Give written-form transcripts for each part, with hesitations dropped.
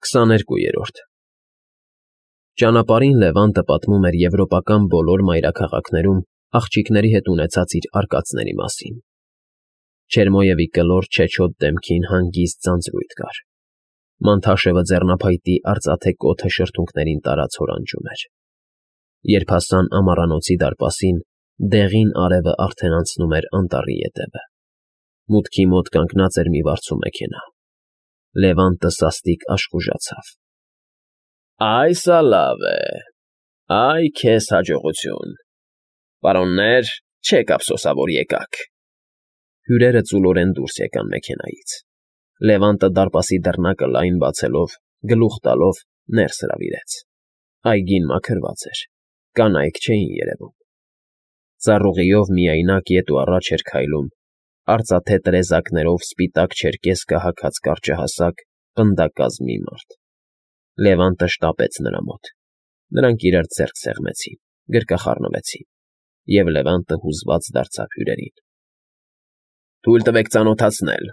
22-րդ Ճանապարհին Լևանտը պատմում էր եվրոպական բոլոր մայրաքաղաքներում աղջիկների հետ ունեցած իր արկածների մասին. Չերմոյևի կլոր չեչոտ դեմքին հանգիստ ձանձրույթ կար, Մանթաշևը ձեռնափայտի արծաթե կոթը շրթունքներին տարած հորանջում էր. Երբ հասան ամառանոցի դարպասին, դեղին արևը արդեն անցնում էր անտառի ետևը. Մուտքի մոտ կանգնած էր մի վարձու մեքենա. Լևանտը սաստիկ աշխուժացավ. Այսա լավ է, այ քեզ հաջողություն, պարոններ, չեք ափսոսա, որ եկաք։ Հյուրերը ծուլորեն դուրս եկան մեքենայից. Լևանտը դարպասի դռնակը լայն բացելով, գլուխ տալով ներս հրավիրեց. Այգին մաքրված էր, կանայք չէին երևում. Ծառուղիով միայնակ ետ ու առաջ էր քայլում, արծաթե տրեզակներով սպիտակ չերկեսկը հագած կարճահասակ, պնդակազ մի մարդ. Լևանտը շտապեց նրա մոտ. Նրանք իրար ձեռք սեղմեցին, գրկախառնվեցին, և Լևանտը հուզված դարձավ հյուրերին. Թույլ տվեք ծանոթացնել,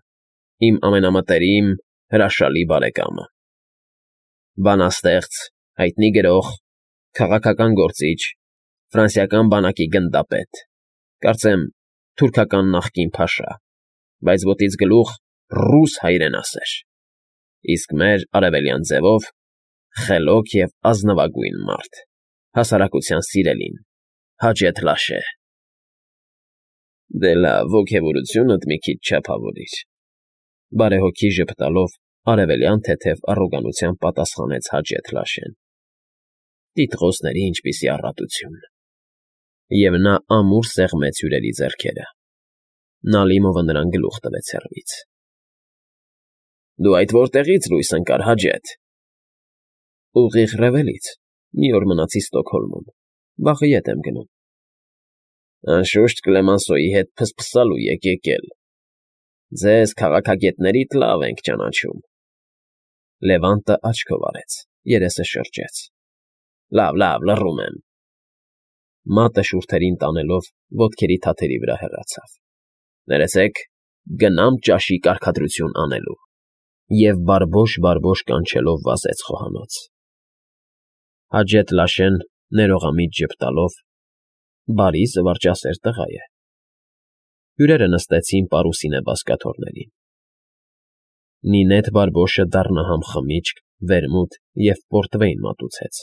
իմ ամենամտերիմ, հրաշալի բարեկամը, բանաստեղծ, հայտնի գրող, քաղաքական գործիչ, ֆրանսիական բանակի գնդապետ, կարծեմ թուրքական նախկին փաշա, բայց ոտից գլուխ ռուս հայրենասեր, իսկ մեր արևելյան ձևով խելոք և ազնվագույն մարդ, հասարակության սիրելին, Հաջեթ Լաշե։ Դե լավ, ոգևորությունդ մի քիչ չափավորիր, բարեհոգի ժպտալով արևելյան թեթև առոգանությամբ պատասխանեց Հաջեթ Լաշեն. Տիտղոսների ինչպիսի առատություն։ Եվ նա ամուր սեղմեց հյուրերի ձեռքերը. Նալիմովը նրան գլուխ տվեց հեռվից. Դու այդ որտեղից լույս ընկար, Հաջեթ։ Ուղիղ Ռևելից, մի օր մնացի Ստոկհոլմում, վաղը ետ եմ գնում։ Անշուշտ Կլեմանսոյի հետ փսփսալու եք եկել։ Ձեզ քաղաքագետներիդ լավ ենք ճանաչում։ Լևանտը աչքով արեց, երեսը շրջեց. Լավ, լռում եմ։ Մատը շուրթերին տանելով ոտքերի թաթերի վրա հեռացավ. Ներեցեք, գնամ ճաշի կարգադրություն անելու։ Եվ բարբոշ կանչելով վազեց խոհանոց։ Հաջեթ Լաշեն ներողամիտ ժպտալով բարի զվարճասեր տղա է։ Հյուրերը նստեցին պարուսինե բազկաթոռներին։ Նինեթ Բարբոշը դառնահամ խմիչք, վերմուտ և պորտվեյն մատուցեց։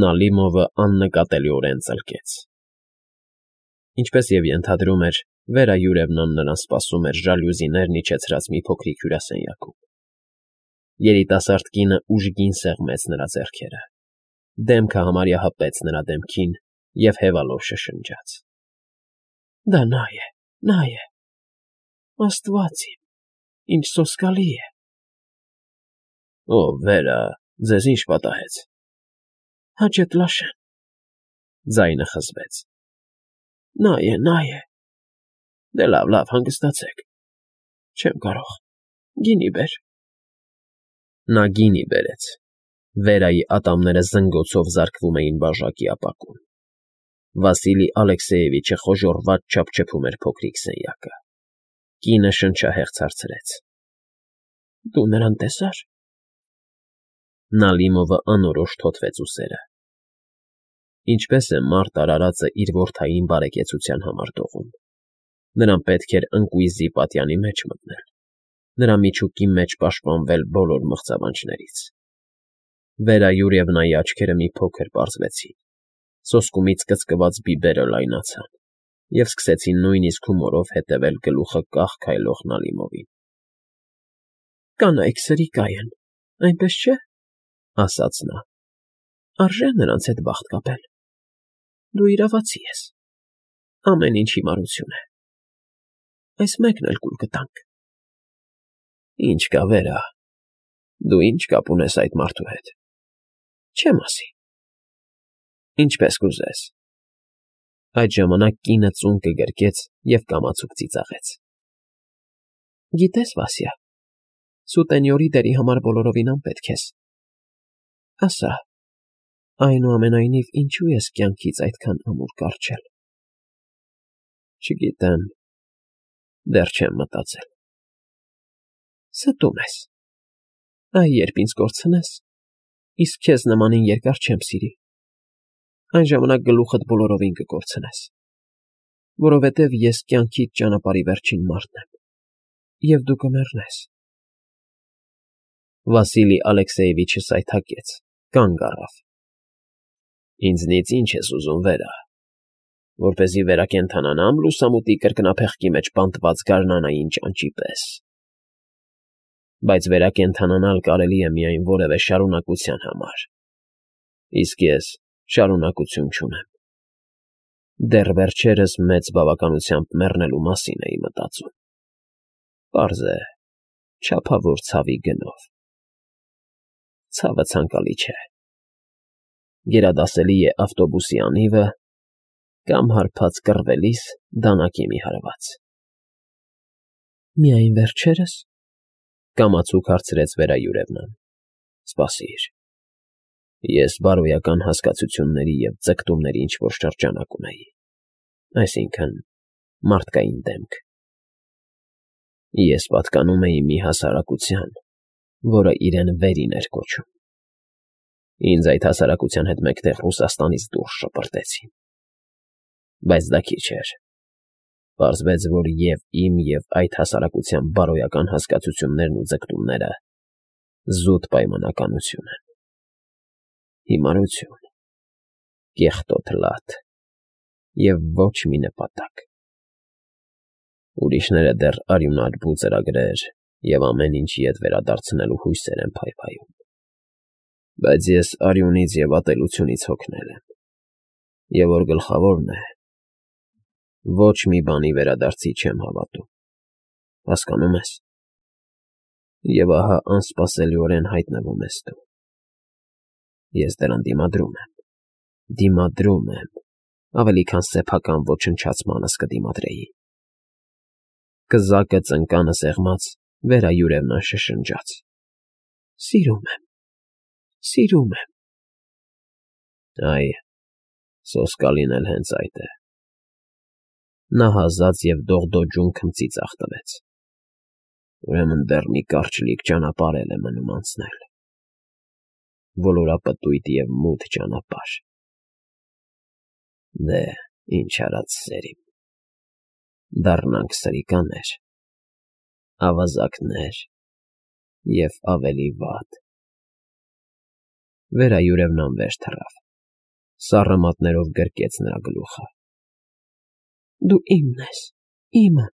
Նալիմովը աննկատելիորեն ծլկեց։ Ինչպես և ենթադրում էր, Վերա Յուրևնան նրան սպասում էր ժալյուզիներն իջեցրած մի փոքրիկ հյուրասենյակում։ Երիտասարդ կինը ուժգին սեղմեց նրա ձեռքերը, դեմքը համարյա հպեց նրա դեմքին և հևալով շշնջաց. Դա նա է, Աստված իմ, ինչ սոսկալի է։ Ով, Վերա, ձեզ ինչ պատահեց։ Հաջեթ Լաշեն, ձայնը խզվեց։ Նա է։ Դե լավ, հանգստացեք։ Չեմ կարող, գինի բեր։ Նա գինի բերեց։ Վերայի ատամները զնգոցով զարկվում էին բաժակի ապակուն։ Վասիլի Ալեքսեևիչը խոժոռված չափչփում էր փոքրիկ սենյակը։ Կինը շնչահեղձ հարցրեց. Դու նրան տեսա՞ր։ Նալիմովը անորոշ թոթվեց ուսերը։ Ինչպես է մարդ արարածը իր որդային բարեկեցության համար դողում։ Նրան պետք էր ընկույզի պատյանի մեջ մտնել, նրա միջուկի մեջ պաշտպանվել բոլոր մղձավանջներից։ Վերա Յուրևնայի աչքերը մի փոքր պարզվեցին, սոսկումից կծկված բիբերը լայնացան և սկսեցին նույնիսկ հումորով հետևել գլուխը կախ քայլող Նալիմովին։ Կանայք սրիկա են, այնպես չէ, ասաց նա, արժե նրանց հետ բախտ կապել։ Դու իրավացի ես, ամեն ինչ հիմարություն է։ Այս մեկն էլ կուլ կտանք։ Ինչ կա, Վերա, դու ինչ կապ ունես այդ մարդու հետ։ Չեմ ասի։ Ինչպես կուզես։ Այդ ժամանակ կինը ծուն կգրկեց և կամացուկ ծիծաղեց։ Գիտես, Վասյա, սուտենյորի դերի համար բոլորովին անպետք ես։ Ասա, այնուամենայնիվ ինչու ես կյանքից այդքան ամուր կառչել։ Չգիտեմ, դեռ չեմ մտածել։ Ստում ես։ Այ երբ ինձ կորցնես, իսկ քեզ նմանին երկար չեմ սիրի, այն ժամանակ գլուխդ բոլորովին կկորցնես, որովհետև ես կյանքիդ ճանապարհի վերջին մարդն եմ, և դու կմեռնես։ Վասիլի Ալեքսեևիչը սայթաքեց, կանգ առավ։ Ինձնից ինչ ես ուզում, Վերա, որպեսզի վերակենդանանամ լուսամուտի կրկնափեղկի մեջ բանտված գարնանային ճանճի պես։ Բայց վերակենդանանալ կարելի է միայն որևէ շարունակության համար, իսկ ես շարունակություն չունեմ։ Դեռ վերջերս մեծ բավականությամբ մեռնելու մասին էի մտածում։ Պարզ է, չափավոր ցավի գնով։ Ցավը ցանկալի չէ։ Գերադասելի է ավտոբուսի անիվը կամ հարբած կռվելիս դանակի մի հարված։ Միայն վերջերս, կամացուկ հարցրեց Վերայուրևնան։ Սպասիր։ Ես բարոյական հասկացությունների և ձգտումների ինչ-որ շրջանակ ունեի, այսինքն մարդկային դեմք։ Ես պատկանում էի մի հասարակության, որը իրեն վերին էր կոչում։ Ինձ այդ հասարակության հետ մեկտեղ Ռուսաստանից դուրս շպրտեցին։ Բայց դա քիչ էր։ Պարզվեց, որ և իմ, և այդ հասարակության բարոյական հասկացություններն ու ձգտումները զուտ պայմանականություն են։ Հիմարություն, կեղտոտ լաթ և ոչ մի նպատակ։ Ուրիշները դեռ արյունարբու ծրագրեր և ամեն ինչ ետ վերադարձնելու հույսեր են փայփայում։ Բայց ես արյունից և ատելությունից հոգնել եմ, և որ գլխավորն է, ոչ մի բանի վերադարձի չեմ հավատում, հասկանո՞ւմ ես։ Եվ ահա անսպասելիորեն հայտնվում ես դու։ Ես դրան դիմադրում եմ, ավելի քան սեփական ոչնչացմանս կդիմադրեի։ Կզակը ծնկանը սեղմած Վերայուրևնան շշնջաց. Սիրում եմ։ Այ, սոսկալին էլ հենց այդ է։ Նա հազաց և դողդոջուն քմծի ձախ տվեց։ Ուրեմն դեռ մի կարճլիկ ճանապարհ էլ է մնում անցնել։ Ոլորապտույտ և մութ ճանապարհ։ Դե, ինչ արած սերիմ, դառնանք սրիկաներ, ավազակներ և ավելի վատ։ Վերայուրևնան վեր թռավ, սառը մատներով գրկեց նրա գլուխը։ Դու իմն ես, իմը։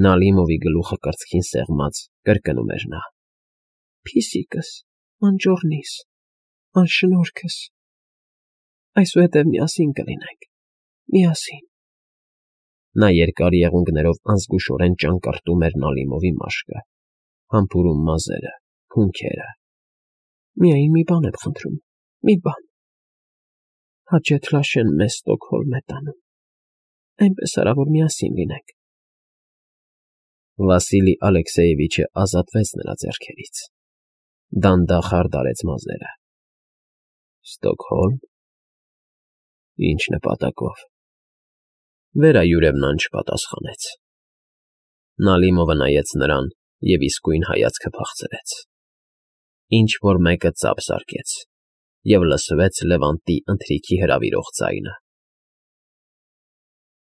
Նալիմովի գլուխը կրծքին սեղմած կրկնում էր նա։ Փիսիկս, անճոռնիս, անշնորհքս։ Այսուհետև միասին կլինենք, միասին։ Նա երկար եղունգներով անզգուշորեն ճանկռտում էր Նալիմովի մաշկը, համբուրում մազերը, հունքերը։ Միայն մի բան եմ խնդրում, մի բան։ Հաճեթ Լաշեն մեզ Ստոկհոլմ է տանում, այնպես արա, որ միասին լինենք։ Վասիլի Ալեքսեևիչը ազատվեց նրա ձեռքերից, դանդաղ հարդարեց մազերը։ Ստոկհոլմ։ Ինչ նպատակով։ Վերայուրևնան չպատասխանեց։ Նալիմովը նայեց նրան և իսկույն հայացքը փախցրեց։ Ինչ֊որ մեկը ծափ զարկեց, և լսվեց Լևանտի ընթրիքի հրավիրող ձայնը։